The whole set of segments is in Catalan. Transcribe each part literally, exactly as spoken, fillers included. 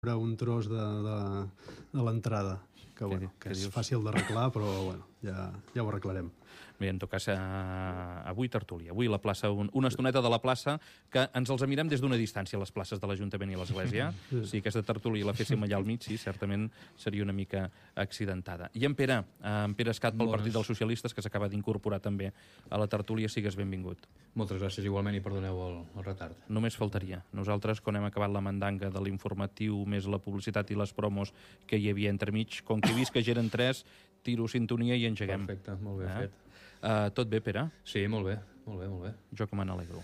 un tros de, de, de l'entrada, que, bueno, que és fàcil d'arreglar, però bueno, ja, ja ho arreglarem. Bé, en tot cas, eh, avui tertúlia. Avui la plaça, un, una estoneta de la plaça, que ens els mirem des d'una distància, les places de l'Ajuntament i l'Església. Sí. Si aquesta tertúlia la féssim allà al mig, sí, certament seria una mica accidentada. I en Pere, eh, en Pere Escat pel Partit dels Socialistes, que s'acaba d'incorporar també a la tertúlia, sigues benvingut. Moltes gràcies igualment i perdoneu el, el retard. Només faltaria. Nosaltres, quan hem acabat la mandanga de l'informatiu, més la publicitat i les promos que hi havia entremig, com que he vist que ja eren tres, tiro sintonia i engeguem. Perfecte, molt bé eh? fet. Uh, tot bé, Pere? Sí, molt bé, molt bé, molt bé. Jo que me n'alegro.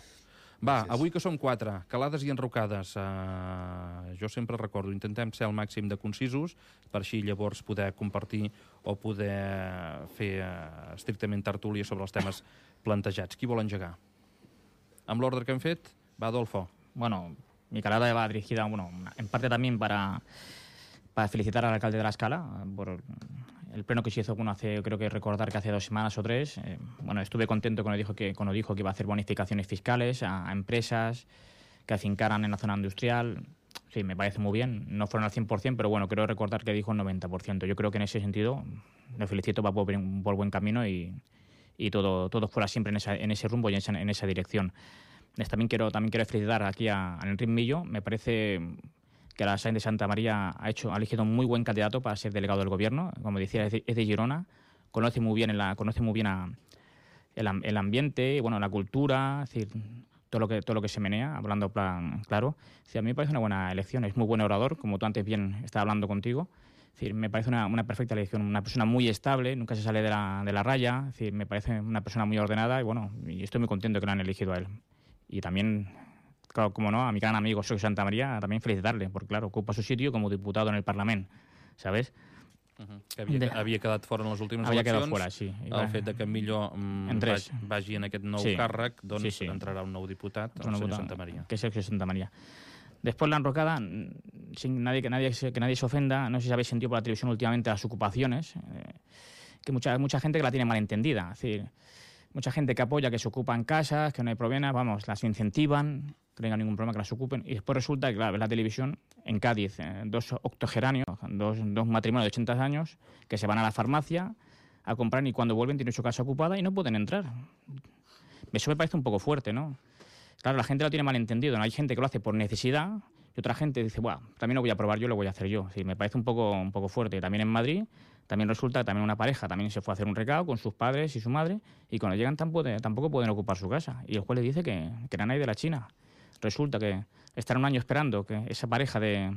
Va, gràcies. Avui que som quatre, calades i enrocades, uh, jo sempre recordo, intentem ser al màxim de concisos, per així llavors poder compartir o poder fer uh, estrictament tertúlia sobre els temes plantejats. Qui vol engegar? Amb l'ordre que hem fet, va, Adolfo. Bueno, mi calada va dirigida, bueno, en parte también para, para felicitar al alcalde de La Scala por el pleno que se hizo, bueno, hace, creo que recordar que hace dos semanas o tres. Eh, bueno, estuve contento cuando dijo que, cuando dijo que iba a hacer bonificaciones fiscales a, a empresas que afincaran en la zona industrial. Sí, me parece muy bien. No fueron al cien por cien, pero bueno, creo recordar que dijo el noventa por ciento. Yo creo que en ese sentido le felicito para por, por buen camino y, y todo, todo fuera siempre en, esa, en ese rumbo y en esa, en esa dirección. También quiero, también quiero felicitar aquí a, a Enrique Millo. Me parece que la Sáenz de Santa María ha hecho ha elegido un muy buen candidato para ser delegado del gobierno. Como decía, es de, es de Girona, conoce muy bien, en la, conoce muy bien a, el, el ambiente, bueno, la cultura, es decir, todo lo que todo lo que se menea, hablando plan claro. Sí, a mí me parece una buena elección, es muy buen orador, como tú antes bien estaba hablando contigo. Es decir, me parece una, una perfecta elección, una persona muy estable, nunca se sale de la, de la raya, es decir, me parece una persona muy ordenada y bueno, y estoy muy contento que lo han elegido a él. Y también, claro, como no, a mi gran amigo Sergio Santa María, también felicitarle, porque claro, ocupa su sitio como diputado en el Parlamento, ¿sabes? Uh-huh. Que havia, de... havia quedat fora en les últimes havia eleccions. Fora, sí. El fet de que millor mm, vagi, vagi en aquest nou sí. càrrec, doncs sí, sí. entrarà un nou diputat, el senyor Santa María. Que es Sergio Santa María. Después la enrocada, sin nadie, que, nadie, que nadie se ofenda, no sé si habéis sentido por la televisión últimamente las ocupaciones, eh, que mucha, mucha gente que la tiene mal entendida, es decir, mucha gente que apoya que se ocupan casas, que no hay problemas, vamos, las incentivan, que no tengan ningún problema que las ocupen, y después resulta que, claro, ves la televisión, en Cádiz, eh, dos octogenarios, dos, dos matrimonios de ochenta años, que se van a la farmacia a comprar y cuando vuelven tienen su casa ocupada y no pueden entrar. Eso me parece un poco fuerte, ¿no? Claro, la gente lo tiene mal entendido, ¿no? Hay gente que lo hace por necesidad y otra gente dice, bueno, también lo voy a probar yo, lo voy a hacer yo. Sí, me parece un poco, un poco fuerte. También en Madrid, también resulta que también una pareja también se fue a hacer un recado con sus padres y su madre y cuando llegan tampoco, tampoco pueden ocupar su casa. Y el juez le dice que, que eran ahí de la China. Resulta que estar un año esperando que esa pareja de,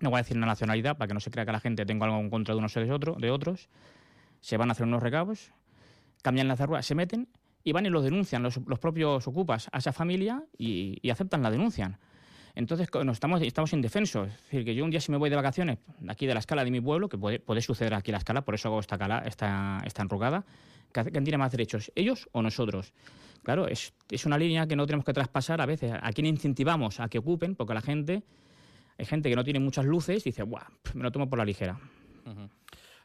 no voy a decir una nacionalidad para que no se crea que la gente tenga algo en contra de unos o de, otro, de otros, se van a hacer unos recados, cambian las cerruas, se meten y van y los denuncian los, los propios ocupas a esa familia y, y aceptan la denuncian. Entonces nos estamos, estamos indefensos. Es decir, que yo un día si me voy de vacaciones aquí de la Scala de mi pueblo, que puede, puede suceder aquí en la Scala, por eso hago esta, cala, esta, esta enrocada, ¿quién tiene más derechos, ellos o nosotros? Claro, es, es una línea que no tenemos que traspasar a veces. ¿A quién incentivamos a que ocupen? Porque la gente, hay gente que no tiene muchas luces y dice, buah, me lo tomo por la ligera. Uh-huh.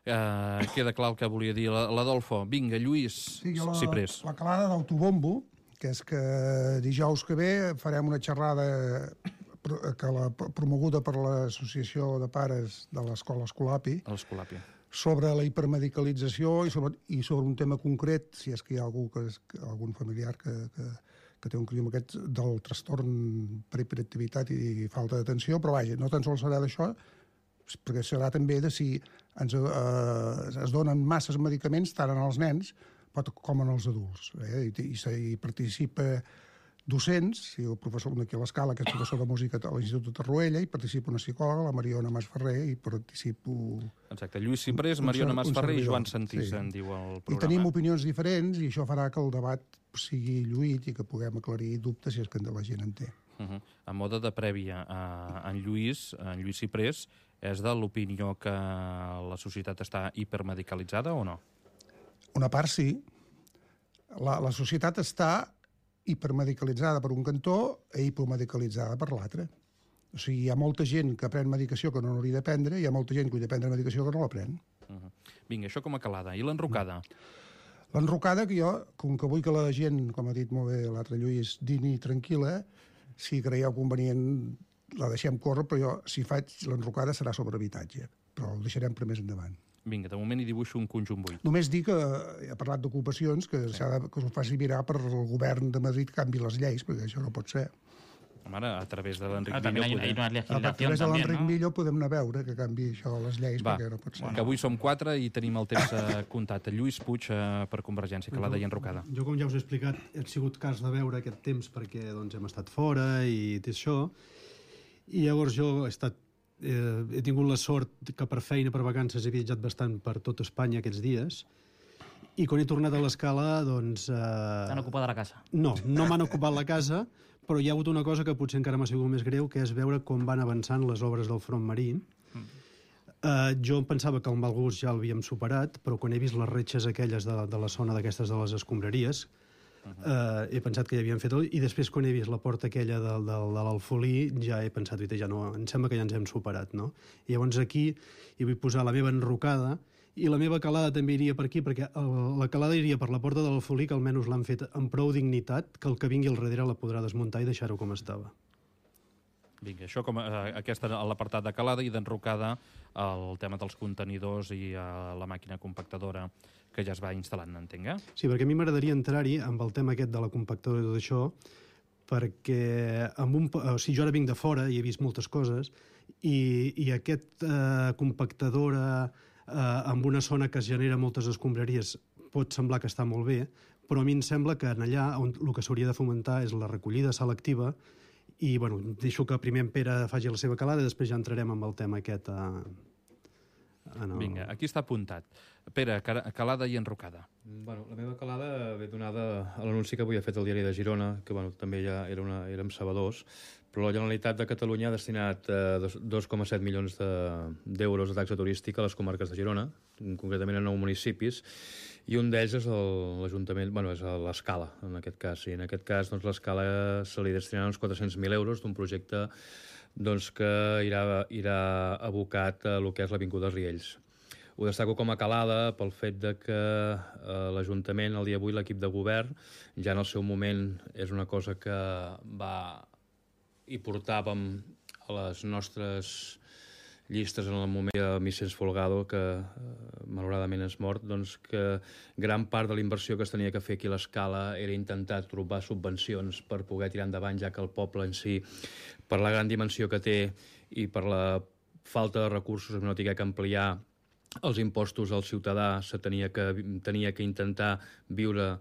Uh, queda clar el que volia dir l'Adolfo. Vinga, Lluís sí, la, Ciprés. La calada d'autobombo, que és que dijous que ve farem una xerrada que la, promoguda per l'Associació de Pares de l'Escola Escolapi, Escolapi sobre la hipermedicalització i sobre, i sobre un tema concret, si és que hi ha algú que és, algun familiar que, que, que té un crim aquest del trastorn per hiperactivitat i falta d'atenció, però vaja, no tan sols serà d'això, perquè serà també de si ens, eh, es donen masses medicaments tant en els nens com en els adults. Eh? I, i, i participa docents, si el professor d'aquí a l'Escala, que és professor de música a l'Institut de Torroella, i participa una psicòloga, la Mariona Masferrer, i participo... Exacte, Lluís Ciprés, Mariona Masferrer i Joan Santís, sí. En diu el programa. I tenim opinions diferents, i això farà que el debat sigui lluït i que puguem aclarir dubtes si és que la gent en té. Uh-huh. A moda de prèvia, uh, en Lluís, en Lluís Ciprés, és de l'opinió que la societat està hipermedicalitzada o no? Una part sí. La, la societat està hipermedicalitzada per un cantó i hipomedicalitzada per l'altre. O sigui, hi ha molta gent que pren medicació que no hauria de prendre i hi ha molta gent que hauria de prendre medicació que no la pren. Uh-huh. Vinga, això com a calada. I l'enrocada? L'enrocada, que jo, com que vull que la gent, com ha dit molt bé l'altre Lluís, dini tranquil·la, si creieu convenient la deixem córrer, però jo, si faig l'enrocada, serà sobre habitatge, però el deixarem per més endavant. Vinga, de moment hi dibuixo un conjunt buit. Només dir que he parlat d'ocupacions, que sí. s'ha de, que s'ho faci mirar per el govern de Madrid que canvi les lleis, perquè això no pot ser. Home, ara, a través de l'Enric Ah, también hay, Millo... hay una A legislación través de también, l'Enric ¿no? Millo podem anar a veure que canvi això les lleis, Va, perquè no pot ser. que avui som quatre i tenim el temps eh, comptat. Lluís Puig eh, per Convergència, Calada i Enrocada. Jo, com ja us he explicat, he sigut cas de veure aquest temps perquè doncs, hem estat fora i tot això. I llavors jo he estat eh, he tingut la sort que per feina, per vacances, he viatjat bastant per tot Espanya aquests dies. I quan he tornat a l'escala, doncs... Eh... T'han ocupat la casa. No, no m'han ocupat la casa, però hi ha hagut una cosa que potser encara m'ha sigut més greu, que és veure com van avançant les obres del front marí. Mm. Uh, jo pensava que el mal gust ja l'havíem superat, però quan he vist les retxes aquelles de, de la zona d'aquestes de les escombraries, uh -huh. uh, he pensat que ja havien fet tot, i després quan he vist la porta aquella de, de, de l'Alfolí, ja he pensat, ja no, em sembla que ja ens hem superat, no? I llavors aquí hi vull posar la meva enrocada, i la meva calada també iria per aquí, perquè el, la calada iria per la porta de l'Alfolí, que almenys l'han fet amb prou dignitat, que el que vingui al darrere la podrà desmuntar i deixar-ho com estava. Vinga, això com a, aquesta a l'apartat de calada i d'enrocada el tema dels contenidors i a la màquina compactadora que ja es va instal·lant, entenc, eh? Sí, perquè a mi m'agradaria entrar-hi amb el tema aquest de la compactadora i tot això, perquè amb un, o sigui, jo ara vinc de fora i he vist moltes coses, i, i aquest eh, compactadora eh, amb una zona que es genera moltes escombraries pot semblar que està molt bé, però a mi em sembla que en allà on el que s'hauria de fomentar és la recollida selectiva. I, bueno, deixo que primer en Pere faci la seva calada i després ja entrarem amb el tema aquest. A, a no... Vinga, aquí està apuntat. Pere, calada i enrocada. Bueno, la meva calada ve donada a l'anunci que avui ha fet el diari de Girona, que bueno, també ja era una, érem sabedors, però la Generalitat de Catalunya ha destinat eh, dos coma set milions d'euros de, de taxa turística a les comarques de Girona, concretament a nou municipis, i un d'ells és l'Ajuntament, bueno, és l'Escala, en aquest cas. I en aquest cas, doncs, l'Escala se li destinaran uns quatre-cents mil euros d'un projecte doncs, que irà, irà abocat a el que és l'Avinguda Riells. Ho destaco com a calada pel fet de que eh, l'Ajuntament, el dia avui, l'equip de govern, ja en el seu moment és una cosa que va i portàvem a les nostres llistes en el moment de Vicens Folgado, que eh, malauradament és mort, doncs que gran part de la inversió que es tenia que fer aquí a l'Escala era intentar trobar subvencions per poder tirar endavant, ja que el poble en si, per la gran dimensió que té i per la falta de recursos, no tingué que ampliar els impostos al ciutadà, se tenia que, tenia que intentar viure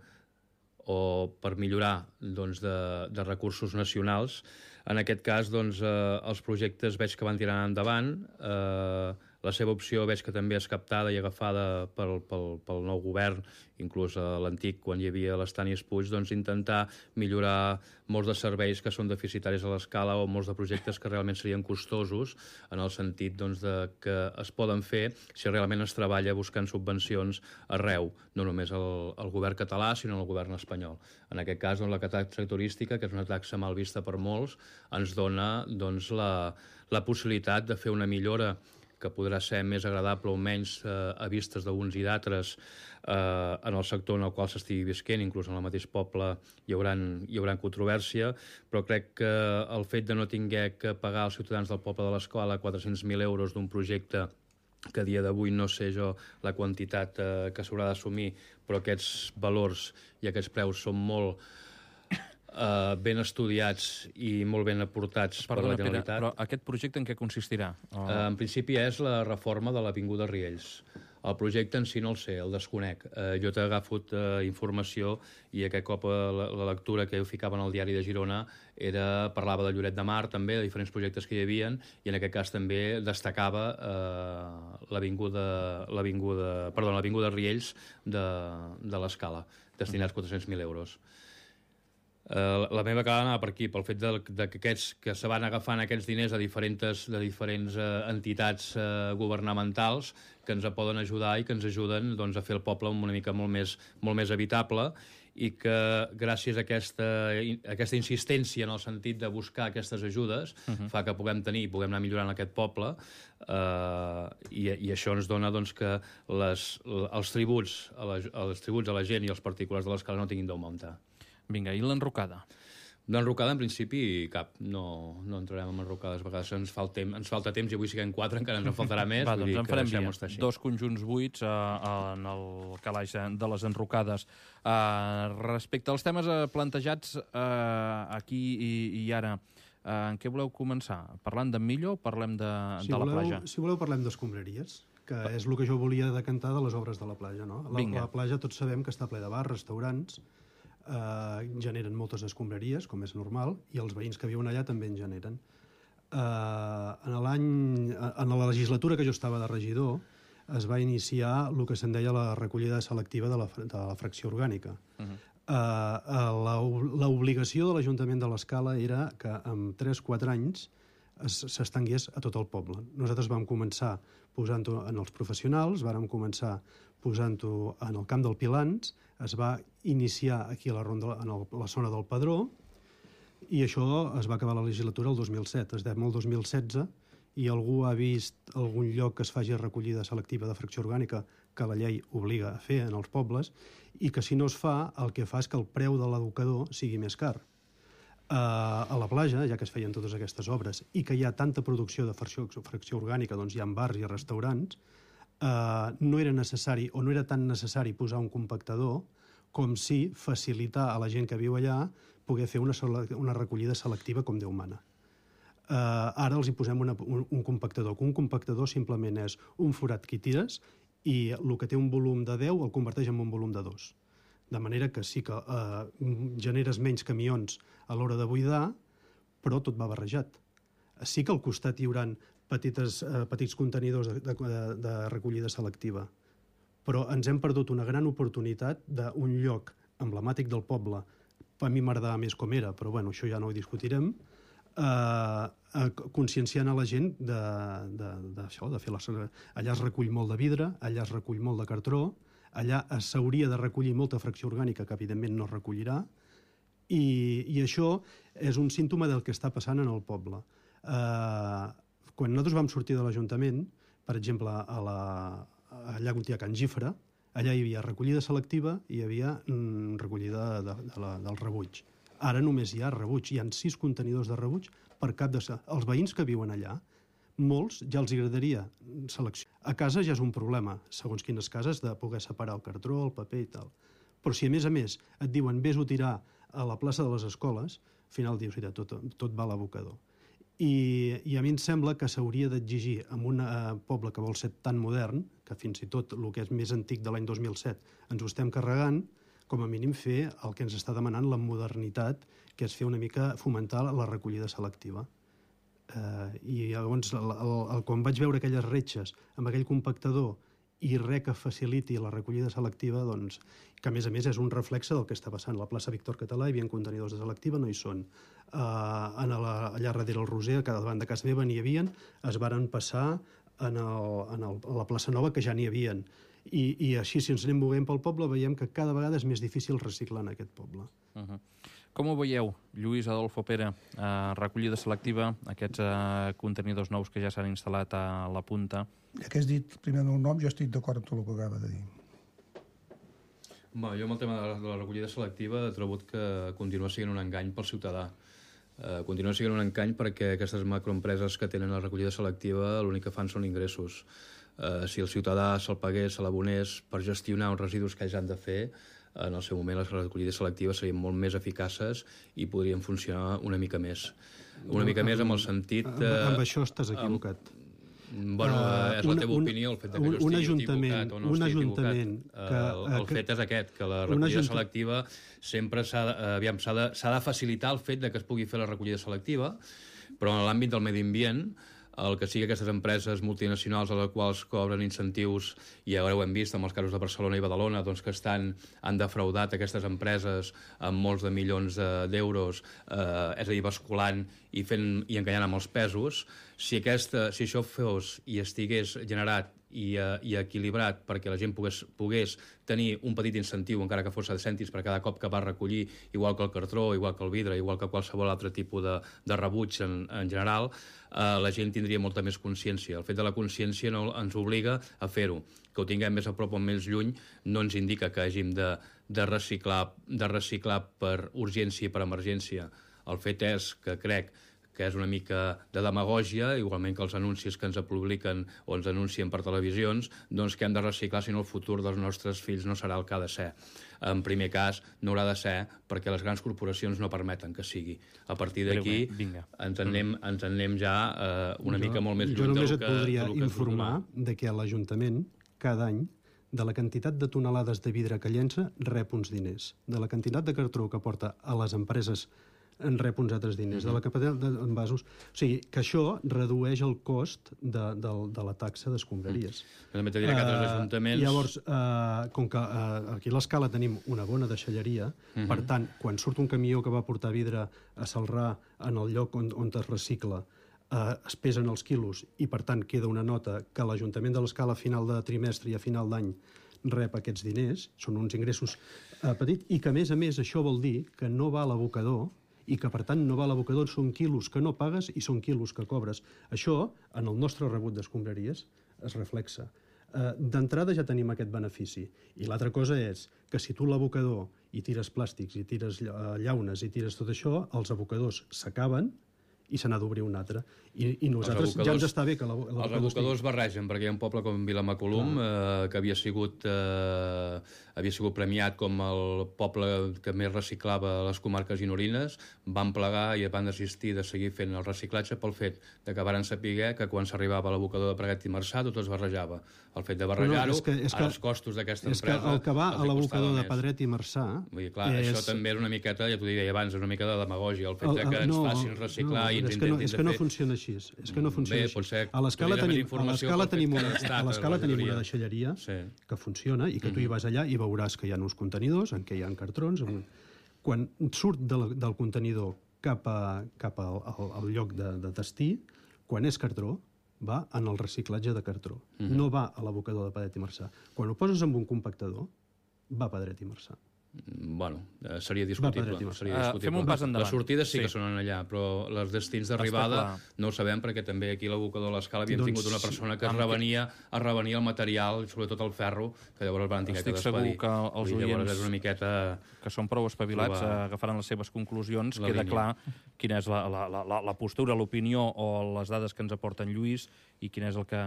o per millorar doncs, de, de recursos nacionals. En aquest cas, doncs, eh, els projectes veig que van tirar endavant. Eh, la seva opció veig que també és captada i agafada pel, pel, pel nou govern, inclús a l'antic, quan hi havia l'Estanis Puig, doncs intentar millorar molts de serveis que són deficitaris a l'Escala o molts de projectes que realment serien costosos, en el sentit doncs, de que es poden fer si realment es treballa buscant subvencions arreu, no només al, al govern català, sinó al govern espanyol. En aquest cas, doncs, la taxa turística, que és una taxa mal vista per molts, ens dona doncs, la, la possibilitat de fer una millora que podrà ser més agradable o menys eh, a vistes d'uns i d'altres eh, en el sector en el qual s'estigui visquent, inclús en el mateix poble hi haurà, hi haurà controvèrsia, però crec que el fet de no tinguer que pagar als ciutadans del poble de l'Escala quatre-cents mil euros d'un projecte que a dia d'avui no sé jo la quantitat eh, que s'haurà d'assumir, però aquests valors i aquests preus són molt Uh, ben estudiats i molt ben aportats Perdona, per la Generalitat. Pere, però aquest projecte en què consistirà? Oh. Uh, en principi és la reforma de l'Avinguda Riells. El projecte en si no el sé, el desconec. Uh, jo t'he agafat uh, informació i aquest cop uh, la, la lectura que jo ficava en el diari de Girona era, parlava de Lloret de Mar també, de diferents projectes que hi havia, i en aquest cas també destacava uh, l'Avinguda l'Avinguda perdó, l'Avinguda Riells de, de l'Escala, destinats quatre-cents mil euros. Uh, la meva calada anava per aquí, pel fet de, de que aquests que se van agafant aquests diners de diferents, de diferents uh, entitats uh, governamentals que ens poden ajudar i que ens ajuden doncs, a fer el poble una mica molt més, molt més habitable, i que gràcies a aquesta, a aquesta insistència en el sentit de buscar aquestes ajudes uh -huh. fa que puguem tenir i puguem anar millorant aquest poble, uh, i, i això ens dona doncs, que les, els, tributs a la, els tributs a la gent i els particulars de l'Escala no tinguin d'augmentar. Vinga, i l'enrocada? D'enrocada, en principi, cap. No, no entrarem en enrocades. A vegades ens, fal temps, ens falta temps i avui siguem quatre, encara ens en faltarà més. Va, doncs vull dir en farem via. dos conjunts buits uh, en el calaix de les enrocades. Uh, respecte als temes uh, plantejats uh, aquí i, i ara, uh, en què voleu començar? Parlant d'en Millo o parlem de, si de la voleu, platja? Si voleu parlem d'escombraries, que és el que jo volia decantar de les obres de la platja. No? La, la platja tots sabem que està ple de bars, restaurants, Uh, generen moltes escombraries, com és normal, i els veïns que viuen allà també en generen. Uh, en l'any, en la legislatura que jo estava de regidor, es va iniciar el que se'n deia la recollida selectiva de la, de la fracció orgànica. Uh-huh. uh, L'obligació de l'Ajuntament de l'Escala era que en tres o quatre anys s'estengués a tot el poble. Nosaltres vam començar posant-ho en els professionals, vàrem començar posant-ho en el camp del Pilans, es va iniciar aquí a la, ronda, en el, la zona del Padró, i això es va acabar la legislatura el dos mil set. Estem el dos mil setze i algú ha vist algun lloc que es faci recollida selectiva de fracció orgànica que la llei obliga a fer en els pobles, i que si no es fa, el que fa és que el preu de l'educador sigui més car. Uh, a la platja, ja que es feien totes aquestes obres, i que hi ha tanta producció de fracció, fracció orgànica, doncs hi ha bars i restaurants, Uh, no era necessari o no era tan necessari posar un compactador com si facilitar a la gent que viu allà poder fer una, una recollida selectiva com Déu mana. Uh, ara els hi posem una, un, un compactador, que un compactador simplement és un forat que hi tires i el que té un volum de deu el converteix en un volum de dos. De manera que sí que uh, generes menys camions a l'hora de buidar, però tot va barrejat. Sí que al costat hi haurà petites, eh, petits contenidors de, de, de recollida selectiva, però ens hem perdut una gran oportunitat d'un lloc emblemàtic del poble. A mi m'agradava més com era, però bueno, això ja no ho discutirem, eh, eh, conscienciant a la gent de, de, de, això, de fer les... Allà es recull molt de vidre, allà es recull molt de cartró, allà s'hauria de recollir molta fracció orgànica que evidentment no es recollirà, i, i això és un símptoma del que està passant en el poble. Eh, quan nosaltres vam sortir de l'Ajuntament, per exemple, a la, allà on hi ha Can Gifra, allà hi havia recollida selectiva i hi havia mm, recollida de, de la, del rebuig. Ara només hi ha rebuig, hi ha sis contenidors de rebuig per cap de... Els veïns que viuen allà, molts ja els agradaria seleccionar. A casa ja és un problema, segons quines cases, de poder separar el cartró, el paper i tal. Però si a més a més et diuen vés-ho tirar a la plaça de les escoles, al final dius, mira, tot, tot va a l'abocador. I, I a mi em sembla que s'hauria d'exigir en un uh, poble que vol ser tan modern, que fins i tot el que és més antic de l'any dos mil set ens ho estem carregant, com a mínim fer el que ens està demanant la modernitat, que és fer una mica fomentar la recollida selectiva. Uh, I llavors, el, el, el, quan vaig veure aquelles retxes amb aquell compactador i res que faciliti la recollida selectiva, doncs, que a més a més és un reflexe del que està passant. A la plaça Víctor Català hi havia contenidors de selectiva, no hi són. Uh, en la, allà darrere el Roser, a davant de casa meva n'hi havia, es varen passar en el, en el, a la plaça Nova, que ja n'hi havia. I, I així, si ens anem movent pel poble, veiem que cada vegada és més difícil reciclar en aquest poble. Uh-huh. Com ho veieu, Lluís Adolfo Pere, eh, recollida selectiva, aquests eh, contenidors nous que ja s'han instal·lat a la punta? Ja que has dit primer el meu nom, jo estic d'acord amb tot el que acaba de dir. Bé, jo amb el tema de la, de la recollida selectiva he trobat que continua sent un engany pel ciutadà. Eh, continua sent un engany perquè aquestes macroempreses que tenen la recollida selectiva l'únic que fan són ingressos. Eh, si el ciutadà se'l pagués, se l'abonés per gestionar els residus que ells han de fer, en el seu moment les recollides selectives serien molt més eficaces i podrien funcionar una mica més. Una mica més amb el sentit... Amb, amb això estàs equivocat. Amb, bueno, uh, és la teva una, opinió, el fet que jo estigui equivocat o no estigui equivocat. Que, el el que, fet és aquest, que la recollida selectiva sempre s'ha aviam, s'ha de, s'ha de facilitar el fet de que es pugui fer la recollida selectiva, però en l'àmbit del medi ambient, el que sigui aquestes empreses multinacionals a les quals cobren incentius, i ara ho hem vist amb els casos de Barcelona i Badalona, doncs que estan, han defraudat aquestes empreses amb molts de milions d'euros, eh, és a dir, basculant i, fent, i enganyant amb els pesos. Si, aquesta, si això fos i estigués generat i, uh, i equilibrat perquè la gent pogués, pogués tenir un petit incentiu, encara que fos de cèntims per cada cop que va recollir, igual que el cartró, igual que el vidre, igual que qualsevol altre tipus de, de rebuig en, en general, uh, la gent tindria molta més consciència. El fet de la consciència no ens obliga a fer-ho. Que ho tinguem més a prop o més lluny no ens indica que hàgim de, de, reciclar, de reciclar per urgència i per emergència El fet és que crec que és una mica de demagògia, igualment que els anuncis que ens publiquen o ens anuncien per televisions, doncs que hem de reciclar, si no el futur dels nostres fills no serà el que ha de ser. En primer cas, no haurà de ser perquè les grans corporacions no permeten que sigui. A partir d'aquí ens anem, ens anem ja eh, una jo, mica molt més lluny del que... Jo només et voldria informar de que l'Ajuntament, cada any, de la quantitat de tonelades de vidre que llença, rep uns diners. De la quantitat de cartró que porta a les empreses en rep uns altres diners, mm-hmm. de la capacitat d'envasos. O sigui, que això redueix el cost de, de, de la taxa d'escombraries. Mm. També t'he dit que altres ajuntaments... Uh, llavors, uh, com que uh, aquí a l'Escala tenim una bona deixalleria, mm-hmm. per tant, quan surt un camió que va portar vidre a Celrà en el lloc on, on es recicla, uh, es pesen els quilos i, per tant, queda una nota que l'Ajuntament de l'Escala a final de trimestre i a final d'any rep aquests diners, són uns ingressos uh, petits, i que, a més a més, això vol dir que no va a l'abocador i que, per tant, no va a l'abocador, són quilos que no pagues i són quilos que cobres. Això, en el nostre rebut d'escombraries, es reflexa. Uh, D'entrada ja tenim aquest benefici. I l'altra cosa és que si tu l'abocador i tires plàstics i tires llaunes i tires tot això, els abocadors s'acaben i se n'ha d'obrir un altre. I, i nosaltres ja ens està bé que l'abocador... Els abocadors barregen, perquè hi ha un poble com Vilamacolum eh, que havia sigut, eh, havia sigut premiat com el poble que més reciclava a les comarques gironines, van plegar i van desistir de seguir fent el reciclatge pel fet de que varen saber que quan s'arribava a l'abocador de Pradell i Marçà tot es barrejava. El fet de barrejar-ho, no, no, als costos d'aquesta empresa... És que el que va a l'abocador de Pedret i Marçà... Vull dir, clar, és... això també és una miqueta, ja t'ho deia abans, una mica de demagògia, el fet el, el, de que ens no, facin reciclar no, i ens és que no, intentin és que no funciona així. És que no funciona Bé, així. A l'Escala tenim, a l'Escala tenim, una, a l'Escala tenim una deixalleria sí. que funciona i que tu hi vas allà i veuràs que hi ha uns contenidors en què hi ha cartrons. Quan surt del, del contenidor cap, a, cap al, al, al lloc de, de destí, quan és cartró, va en el reciclatge de cartró. Mm-hmm. No va a l'abocador de Pedret i Marçà. Quan ho poses en un compactador, va a Pedret i Marçà. Bueno, eh, seria discutible. Seria discutible. Uh, fem un pas endavant. Les sortides sí, sí que són allà, però les destins d'arribada no ho sabem perquè també aquí a l'abocador de l'Escala havíem doncs, tingut una persona que es revenia, es revenia el material, sobretot el ferro, que llavors van tenir que despedir. Estic segur que els oients és una miqueta... que són prou espavilats provar... agafaran les seves conclusions, la queda línia. Clar quina és la, la, la, la postura, l'opinió o les dades que ens aporten Lluís i quina és el que,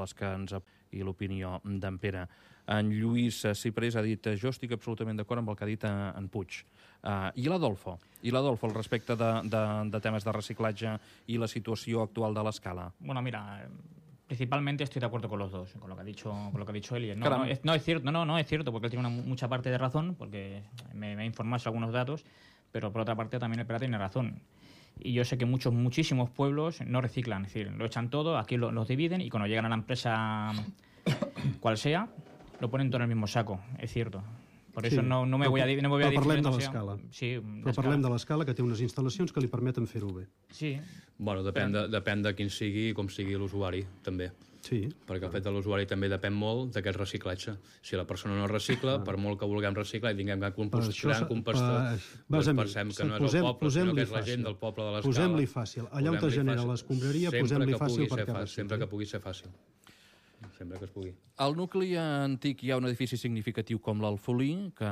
les que ens i l'opinió d'en Pere. En Lluís Ciprés ha dit jo estic absolutament d'acord amb el que ha dit en Puig. Uh, I l'Adolfo? I l'Adolfo al respecte de, de, de temes de reciclatge i la situació actual de l'Escala? Bueno, mira, principalmente estoy de acuerdo con los dos, con lo que ha dicho, con lo que ha dicho Eli. No, no, es, no es cierto, no, no es cierto, porque él tiene una, mucha parte de razón, porque me, me ha informado sobre algunos datos, pero por otra parte también el Pera tiene razón. Y yo sé que muchos, muchísimos pueblos no reciclan, es decir, lo echan todo, aquí lo, los dividen y cuando llegan a la empresa cual sea, lo ponen todo en el mismo saco, és cierto. Per sí, això no, no me voy a dir... No me voy a dir parlem de l'Escala. Sí, però parlem de l'Escala, que té unes instal·lacions que li permeten fer-ho bé. Sí. Bueno, depèn de, depèn de quin sigui i com sigui l'usuari, també. Sí. Perquè el fet de l'usuari també depèn molt d'aquest reciclatge. Si la persona no recicla, ah. per molt que vulguem reciclar i tinguem que compostar, compostar, doncs pensem que no és el poble, sinó que és la gent del poble de l'Escala. Posem-li fàcil. Allà on es genera l'escombraria, posem-li fàcil perquè fàcil. Sempre que pugui ser fàcil. Sempre que es pugui. Al nucli antic hi ha un edifici significatiu com l'Alfolí, que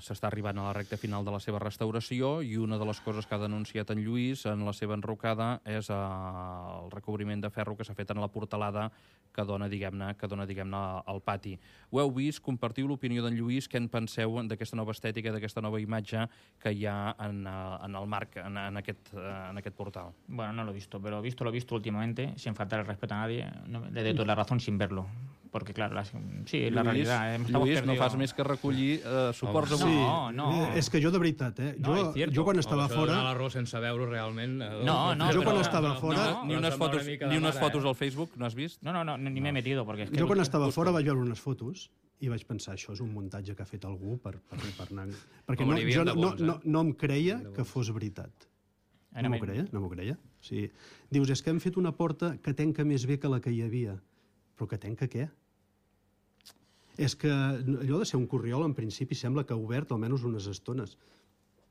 s'està arribant a la recta final de la seva restauració, i una de les coses que ha denunciat en Lluís en la seva enrocada és el recobriment de ferro que s'ha fet en la portalada que dona, diguem-ne, que dona, diguem-ne, al pati. Ho heu vist? Compartiu l'opinió d'en Lluís. Què en penseu d'aquesta nova estètica, d'aquesta nova imatge que hi ha en, en el marc, en, en, aquest, en aquest portal? Bueno, no lo he visto, pero visto lo visto últimamente, sin faltar el respeto a nadie, no, le doy toda la razón sin verlo. Porque, claro, la, sí, Lluís, la realidad... Eh, Lluís, no fas més que recollir eh, suports avui. No, no. Eh, és que jo, de veritat, eh? Jo, no, jo quan estava no, fora... l'arròs sense veure realment... Eh, no, no, jo però, quan estava no, fora... No, ni unes fotos, ni unes fotos al Facebook, no has vist? No, no, no, ni m'he metido, perquè... És que jo quan estava fora vaig veure unes fotos i vaig pensar, això és un muntatge que ha fet algú per, per, per anar... Perquè no, jo no, no, no, no em creia que fos veritat. No m'ho creia, no m'ho creia. O sigui, dius, és que hem fet una porta que tenca més bé que la que hi havia. Però que tenca què? És que allò de ser un corriol, en principi, sembla que ha obert almenys unes estones.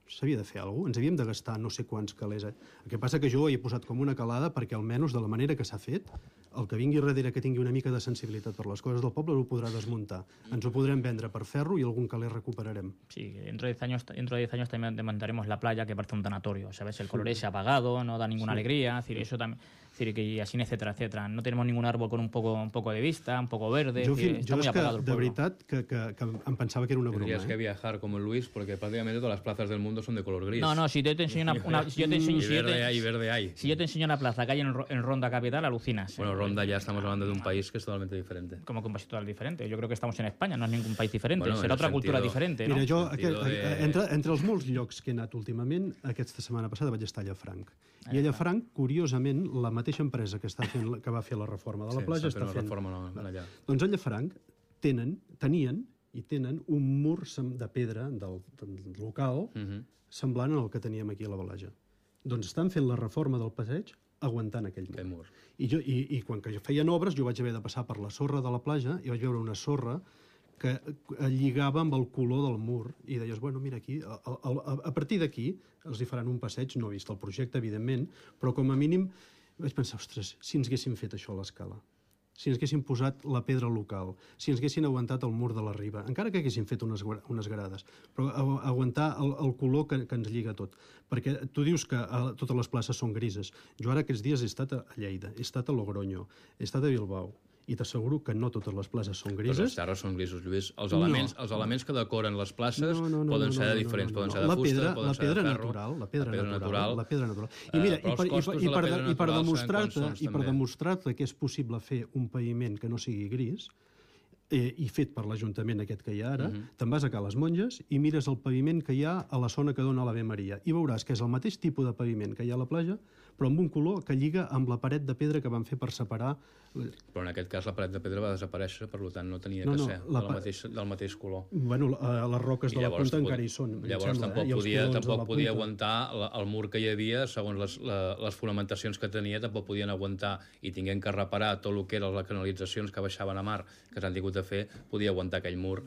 S'havia de fer alguna cosa. Ens havíem de gastar no sé quants calés. Eh? El que passa que jo ho he posat com una calada perquè almenys de la manera que s'ha fet el que vingui darrere que tingui una mica de sensibilitat per les coses del poble ho podrà desmuntar. Ens ho podrem vendre per ferro i algun caler recuperarem. Sí, dentro de diez años, dentro de diez años también demandaremos la playa que parece un tanatorio, ¿sabes? El color es apagado, no da ninguna sí. alegría, es decir, eso también, es decir, que y así, etcétera, etcétera. No tenemos ningún árbol con un poco, un poco de vista, un poco verde, jo, es decir, fin, está jo muy és que, apagado el de pueblo. veritat, que, que, que em pensava que era una broma. Tendrías eh? que viajar como Luis, porque prácticamente todas las plazas del mundo son de color gris. No, no, si yo te enseño una... una si yo te enseño, y si yo verde te, hay, verde hay. Si yo te enseño una plaza que hay en, en Ronda Capital, alucinas. Bueno, Ronda ya estamos hablando de un país que es totalmente diferente. Como que un país totalmente diferente. Yo creo que estamos en España, no es ningún país diferente. Bueno, será otra cultura sentido... diferente, ¿no? Mira, jo, aquest, de... entre, entre els molts llocs que he anat últimament, aquesta setmana passada vaig estar a Llafranc. I a Llafranc, curiosament, la mateixa empresa que, està fent, que va fer la reforma de la sí, platja està fent... Reforma allà. Doncs a Llafranc tenen, tenien i tenen un mur de pedra del, del local uh -huh. semblant al que teníem aquí a la Balaja. Doncs estan fent la reforma del passeig aguantant aquell mur. Aquell mur. I, jo, i, I quan que feien obres jo vaig haver de passar per la sorra de la platja i vaig veure una sorra que lligava amb el color del mur i deies, bueno, mira aquí, a, a, a partir d'aquí els hi faran un passeig, no he vist el projecte, evidentment, però com a mínim vaig pensar, ostres, si ens haguéssim fet això a l'escala, si ens haguéssim posat la pedra local, si ens haguessin aguantat el mur de la riba, encara que haguéssim fet unes, unes grades, però aguantar el, el color que, que ens lliga tot. Perquè tu dius que a, totes les places són grises. Jo ara aquests dies he estat a Lleida, he estat a Logroño, he estat a Bilbao, i t'asseguro que no totes les places són grises. Però les terres són grisos, Lluís. Els elements, no. els elements que decoren les places no, no, no, poden ser no, no, de diferents, no, no, no. poden ser de fusta, pedra, poden ser de ferro. Natural, la pedra, la pedra natural. natural. La pedra natural. I mira, uh, i per, i per, i per, i per demostrar-te i per demostrar-te que és possible fer un paviment que no sigui gris, eh, i fet per l'Ajuntament aquest que hi ha ara, uh -huh. te'n vas a Cales Monges i mires el paviment que hi ha a la zona que dona a l'Ave Maria i veuràs que és el mateix tipus de paviment que hi ha a la platja, però amb un color que lliga amb la paret de pedra que van fer per separar... Però en aquest cas la paret de pedra va desaparèixer, per tant no tenia no, que no, ser la... del, mateix, del mateix color. Bueno, les roques de la punta pot... encara hi són. Llavors sembla, tampoc eh? podia, tampoc podia aguantar la, el mur que hi havia, segons les, la, les fonamentacions que tenia, tampoc podien aguantar, i tinguent que reparar tot el que eren les canalitzacions que baixaven a mar, que s'han tingut de fer, podia aguantar aquell mur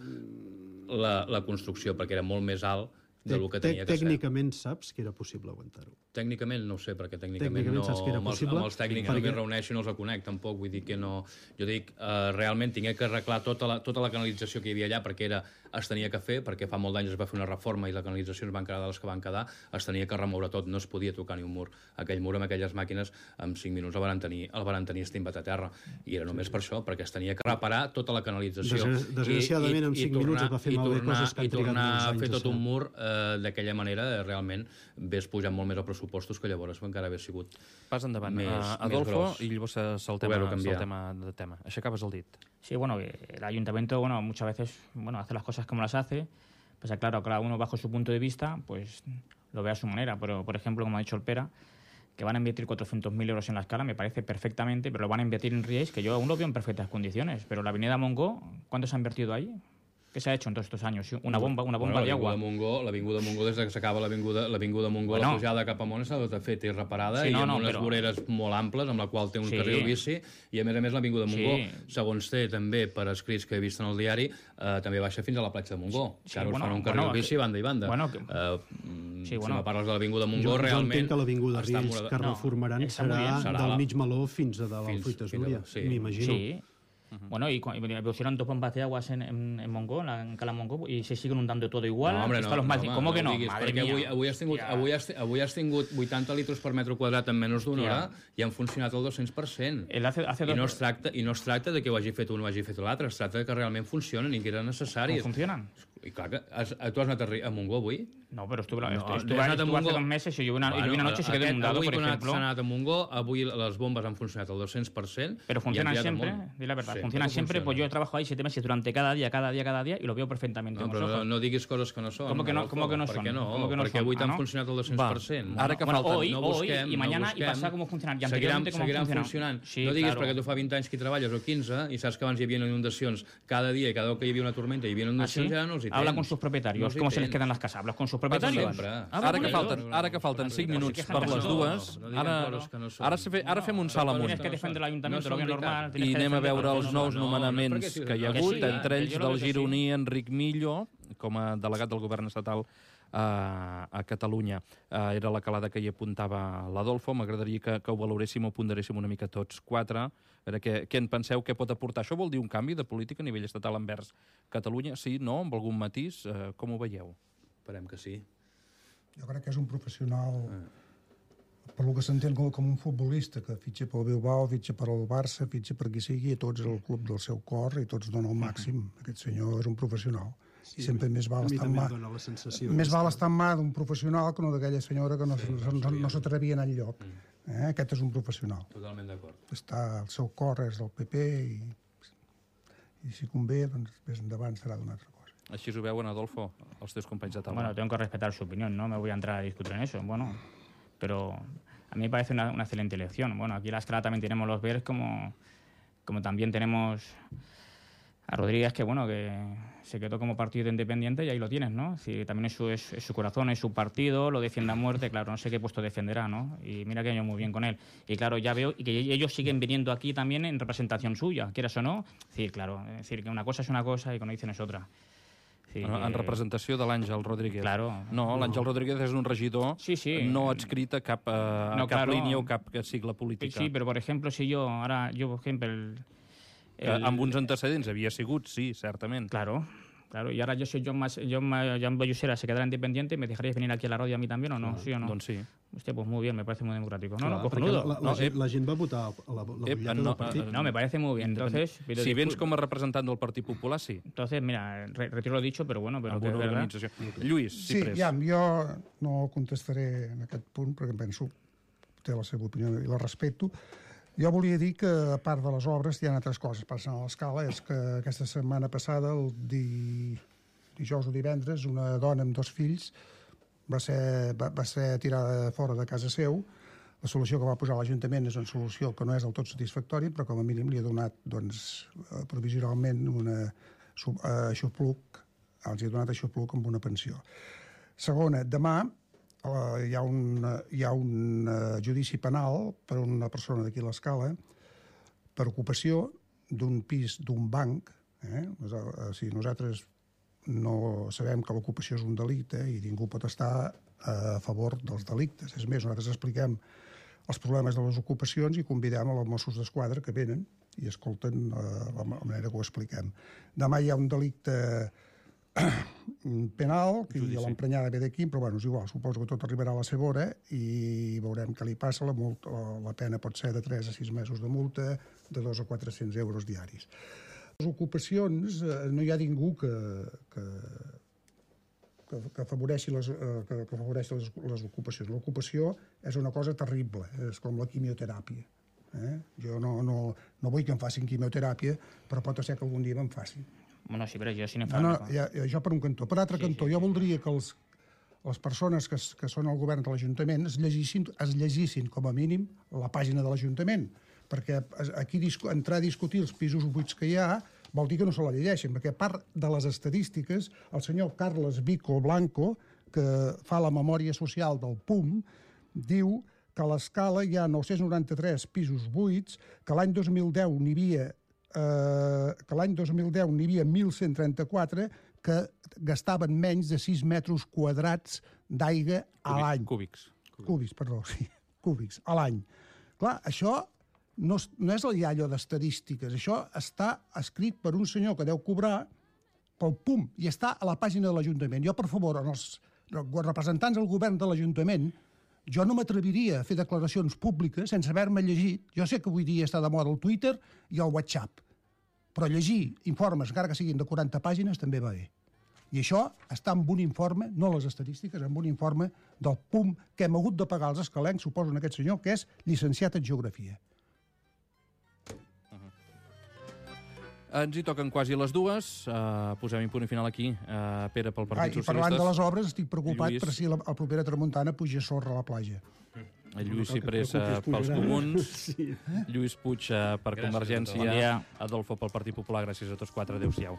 la, la construcció, perquè era molt més alt del que tenia que ser. Tècnicament saps que era possible aguantar-ho. Tècnicament no ho sé, perquè tècnicament, tècnicament no, saps que era possible, amb els tècnics perquè... no m'hi reuneixo i no els conec, tampoc, vull dir que no... Jo dic, eh, realment tingué que arreglar tota la, tota la canalització que hi havia allà, perquè era, es tenia que fer, perquè fa molt d'anys es va fer una reforma i la canalització es van quedar de les que van quedar, es tenia que remoure tot, no es podia tocar ni un mur. Aquell mur amb aquelles màquines, en cinc minuts el van tenir, el van tenir estimbat a terra, i era només per això, perquè es tenia que reparar tota la canalització. Des, desgraciadament, en cinc minuts es va fer malbé coses que han trigat molts anys. I tornar a fer tot un mur eh, d'aquella manera, realment ves pujant molt més els pressupostos que llavors encara haver sigut Pas endavant, més, uh, Adolfo, més i llavors el tema de tema. Aixecaves el dit. Sí, bueno, el ayuntamiento, bueno, muchas veces, bueno, hace las cosas como las hace, pues claro, cada uno bajo su punto de vista, pues lo ve a su manera, pero, por ejemplo, como ha dicho el Pera, que van a invertir cuatrocientos mil euros en la escala, me parece perfectamente, pero lo van a invertir en Riells, que yo aún lo veo en perfectas condiciones, pero la avenida Montgó, ¿cuánto se ha invertido ahí? ¿Qué se ha hecho en todos estos años? Una bomba, una bomba bueno, de agua. L'avinguda Montgó, des que s'acaba l'avinguda Montgó, bueno, la pujada cap amunt s'ha tot fet i reparada, sí, no, i amb no, unes però... voreres molt amples, amb la qual té un sí. carril bici, i a més a més l'avinguda Montgó, sí. segons té també per escrits que he vist en el diari, eh, també baixa fins a la platja de Montgó, sí, que ara bueno, us fan un carril bueno, bici banda i banda. Bueno, que... uh, sí, bueno. Si me parles de l'avinguda Montgó, jo, realment... Jo entenc que l'avinguda Riells que reformaran no, serà, serà del mig Meló fins a dalt al Fruites Núria, sí. m'imagino. Sí. Uh-huh. Bueno, y, y pusieron dos bombas de aguas en, en, en Montgó, en, la, en Cala Montgó, y se siguen inundando todo igual. No, hombre, no, los no, mal... no, ¿Cómo no, que no? no diguis, Madre perquè mía. avui, avui, has tingut, ja. avui, has, avui has tingut vuitanta litres per metre quadrat en menys d'una hora i han funcionat el dos-cents per cent. Hace, hace I, no es tracta, I no es tracta de que ho hagi fet un o hagi fet l'altre, es tracta de que realment funcionen i que eren necessaris. ¿Cómo funcionan? I clar que has, tu has anat a, a Montgó avui? No, pero estuve, no, estuve, estuve, estuve, estuve hace dos meses y yo una, bueno, y una noche se quedó inundado, avui, por ejemplo. Avui s'ha anat a Montgó, avui les bombes han funcionat al dos-cents per cent. Pero funcionan siempre, di la verdad, sí, funcionan siempre, funciona. Pues yo he trabajado ahí siete meses durante cada día, cada día, cada día, y lo veo perfectamente. No, però no, no diguis coses que no són. ¿Cómo que no, ¿cómo que no són? Per què no? ¿Cómo que no perquè son? avui t'han ah, no? funcionat al dos-cents per cent. Ara que bueno, falten, hoy, no hoy busquem, y mañana no busquem. y pasado cómo funcionan. Y seguiran, cómo seguiran funcionan. funcionant. Sí, no diguis claro. perquè tu fa vint anys que hi treballes o quinze i saps que abans hi havia inundacions cada dia i cada cop que hi havia una tormenta hi havia inundacions, ¿Ah, sí? ja no els hi tens. Habla con sus propietarios, no ¿cómo se les quedan las casas? ¿Hablas con sus propietarios? Ah, ara, que falten, ara que falten cinc minuts per les dues, ara, ara, ara fem un salt amunt. Tienes que defender l'Ajuntament, lo que és normal. I anem a veure els nous nomenaments que hi ha hagut, entre ells del gironí Enric Millo, com a delegat del govern estatal a, a Catalunya. Uh, era la calada que hi apuntava l'Adolfo. M'agradaria que, que ho valoréssim o ponderéssim una mica tots quatre. A veure, què, què en penseu, què pot aportar? Això vol dir un canvi de política a nivell estatal envers Catalunya? Sí, no? Amb algun matís? Uh, com ho veieu? Esperem que sí. Jo crec que és un professional, per lo que s'entén com, com un futbolista, que fitxa pel Bilbao, fitxa per al Barça, fitxa per qui sigui, i tots el club del seu cor, i tots donen el màxim. Aquest senyor és un professional. Sí, I sempre més val estar en mà, més val estar en mà d'un professional que no d'aquella senyora que no, sí, no, no, no s'atrevia a anar enlloc. Eh? Aquest és un professional. Totalment d'acord. Està, el seu cor és del P P i, i si convé, doncs més endavant serà d'una altra cosa. Així ho veuen, Adolfo, els teus companys de taula. Bueno, tengo que respetar su opinión, no me voy a entrar a discutir en eso, bueno, pero a mí me parece una, una excelente elección. Bueno, aquí en la escala también tenemos los Verdes, como, como también tenemos a Rodríguez, que bueno, que se quedó como partido independiente y ahí lo tienes, ¿no? Si también es su, es, es su corazón, es su partido, lo defiende a muerte, claro, no sé qué puesto defenderá, ¿no? Y mira que ha ido muy bien con él. Y claro, ya veo y que ellos siguen viniendo aquí también en representación suya, quieras o no. Es decir, claro, es decir, que una cosa es una cosa y cuando dicen es otra. Sí, en, en representació de l'Àngel Rodríguez. Claro. No, l'Àngel Rodríguez és un regidor sí, sí. no adscrit a cap, a no, cap claro. línia o cap sigle política. Sí, però, per exemple, si jo, ara, jo, per exemple... El, el... Que amb uns antecedents havia sigut, sí, certament. Claro. Claro, y ahora yo soy John, Mas, John, John Bayusera, se quedará independiente, ¿me dejaríais venir aquí a la radio a mí también o no? Claro, ¿Sí o no? Doncs sí. Hostia, pues muy bien, me parece muy democrático. No, Clar, no, cojonudo. La, la, no, la, la gent va votar la, la Ep, butlleta no, del partit. No, me parece muy bien. Entonces, pero si vens com a representant del Partit Popular, sí. Entonces, mira, re retiro lo dicho, pero bueno, pero amb que una es verdad. organització. Lluís, sí, Ciprés. Ja, jo no contestaré en aquest punt, perquè penso té la seva opinió i la respecto. Jo volia dir que, a part de les obres, hi ha altres coses passant a l'escala. És que aquesta setmana passada, el di... dijous o divendres, una dona amb dos fills va ser, va, va ser tirada fora de casa seu. La solució que va posar l'Ajuntament és una solució que no és del tot satisfactòria, però com a mínim li ha donat doncs, provisionalment una aixopluc, els ha donat aixopluc amb una pensió. Segona, demà eh, hi ha un, hi ha un uh, judici penal per una persona d'aquí a l'Escala per ocupació d'un pis d'un banc. Eh? O sigui, nosaltres no sabem que l'ocupació és un delicte i ningú pot estar a favor dels delictes. És més, nosaltres expliquem els problemes de les ocupacions i convidem els Mossos d'Esquadra que venen i escolten uh, la manera que ho expliquem. Demà hi ha un delicte penal, que l'emprenyada ve d'aquí, però bueno, és igual, suposo que tot arribarà a la seva hora i veurem què li passa. La, multa, la pena pot ser de tres a sis mesos de multa, de dos a quatre-cents euros diaris. Les ocupacions, eh, no hi ha ningú que, que, que, que afavoreixi, les, eh, que, que afavoreixi les, les ocupacions. L'ocupació és una cosa terrible, és com la quimioteràpia. Eh? Jo no, no, no vull que em facin quimioteràpia, però pot ser que algun dia me'n facin. Bueno, sí, però jo sí n'hem no, no, ja, jo per un cantó. Per altre sí, cantó, sí, jo sí. voldria que els, les persones que, que són al govern de l'Ajuntament es llegissin, es llegissin, com a mínim, la pàgina de l'Ajuntament, perquè aquí entrar a discutir els pisos buits que hi ha vol dir que no se la llegeixen, perquè a part de les estadístiques, el senyor Carles Vico Blanco, que fa la memòria social del P U M, diu que a l'Escala hi ha nou-cents noranta-tres pisos buits, que l'any dos mil deu n'hi havia eh, que l'any dos mil deu n'hi havia mil cent trenta-quatre que gastaven menys de sis metres quadrats d'aigua a l'any. Cúbics. Cúbics, perdó, sí. Cúbics, a l'any. Clar, això no, no és allò d'estadístiques, això està escrit per un senyor que deu cobrar pel P U M i està a la pàgina de l'Ajuntament. Jo, per favor, els representants del govern de l'Ajuntament, jo no m'atreviria a fer declaracions públiques sense haver-me llegit. Jo sé que avui dia està de moda el Twitter i el WhatsApp, però llegir informes, encara que siguin de quaranta pàgines, també va bé. I això està en un informe, no les estadístiques, en un informe del P U M que hem hagut de pagar als escalencs, suposo, en aquest senyor, que és llicenciat en Geografia. Ens hi toquen quasi les dues. Uh, posem-hi punt i final aquí. Uh, Pere, pel Partit Ai, Socialistes. I parlant de les obres, estic preocupat Lluís. per si la, la propera tramuntana puja sorra a la platja. El Lluís Ciprés uh, pels Comuns, sí. Lluís Puig uh, per gràcies Convergència, bon Adolfo pel Partit Popular. Gràcies a tots quatre. Adéu-siau.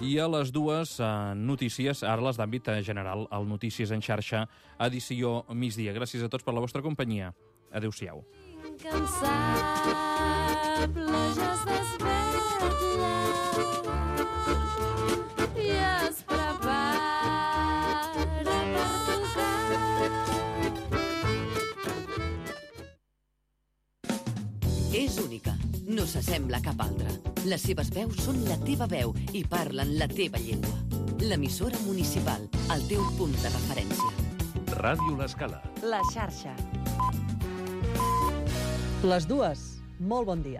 I a les dues uh, notícies, ara les d'àmbit general, el Notícies en xarxa, edició migdia. Gràcies a tots per la vostra companyia. Adéu-siau. incansable ja es desvetlla i es prepara per tocar. És única, no s'assembla a cap altra. Les seves veus són la teva veu i parlen la teva llengua. L'emissora municipal, el teu punt de referència. Ràdio L'Escala. La xarxa. Les dues. Molt bon dia.